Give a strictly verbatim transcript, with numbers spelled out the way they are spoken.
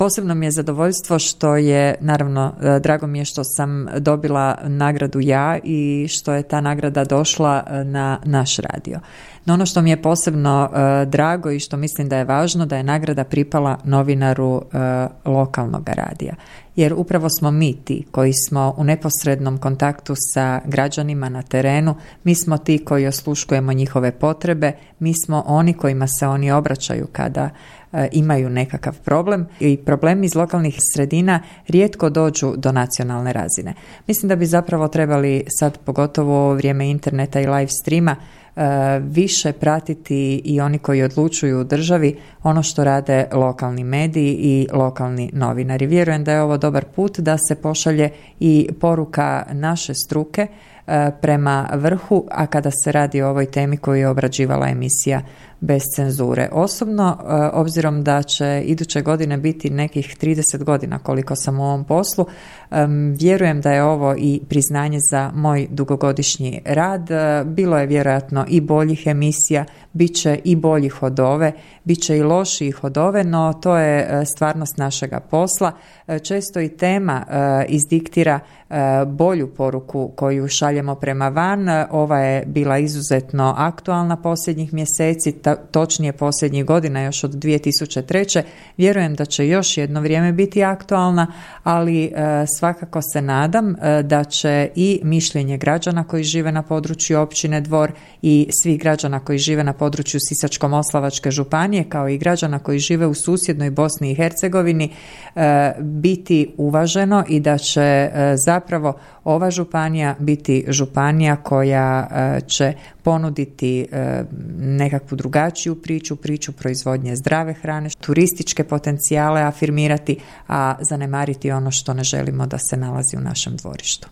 Posebno mi je zadovoljstvo što je, naravno, drago mi je što sam dobila nagradu ja i što je ta nagrada došla na naš radio. No ono što mi je posebno uh, drago i što mislim da je važno, da je nagrada pripala novinaru uh, lokalnog radija. Jer upravo smo mi ti koji smo u neposrednom kontaktu sa građanima na terenu, mi smo ti koji osluškujemo njihove potrebe, mi smo oni kojima se oni obraćaju kada uh, imaju nekakav problem i problemi iz lokalnih sredina rijetko dođu do nacionalne razine. Mislim da bi zapravo trebali sad, pogotovo u ovo vrijeme interneta i live streama, više pratiti i oni koji odlučuju u državi ono što rade lokalni mediji i lokalni novinari. Vjerujem da je ovo dobar put da se pošalje i poruka naše struke prema vrhu, a kada se radi o ovoj temi koju je obrađivala emisija Bez cenzure. Osobno, obzirom da će iduće godine biti nekih trideset godina koliko sam u ovom poslu, vjerujem da je ovo i priznanje za moj dugogodišnji rad. Bilo je vjerojatno i boljih emisija, bit će i boljih od ove, bit će i lošijih od ove, no to je stvarnost našega posla. Često i tema izdiktira bolju poruku koju šaljemo prema van. Ova je bila izuzetno aktualna posljednjih mjeseci, točnije posljednjih godina, još od dvije tisuće treće. Vjerujem da će još jedno vrijeme biti aktualna, ali svakako se nadam da će i mišljenje građana koji žive na području općine Dvor i svih građana koji žive na području Sisačko-moslavačke županije, kao i građana koji žive u susjednoj Bosni i Hercegovini, biti uvaženo i da će zapravo ova županija biti županija koja će ponuditi nekakvu drugačiju priču, priču proizvodnje zdrave hrane, turističke potencijale afirmirati, a zanemariti ono što ne želimo da se nalazi u našem dvorištu.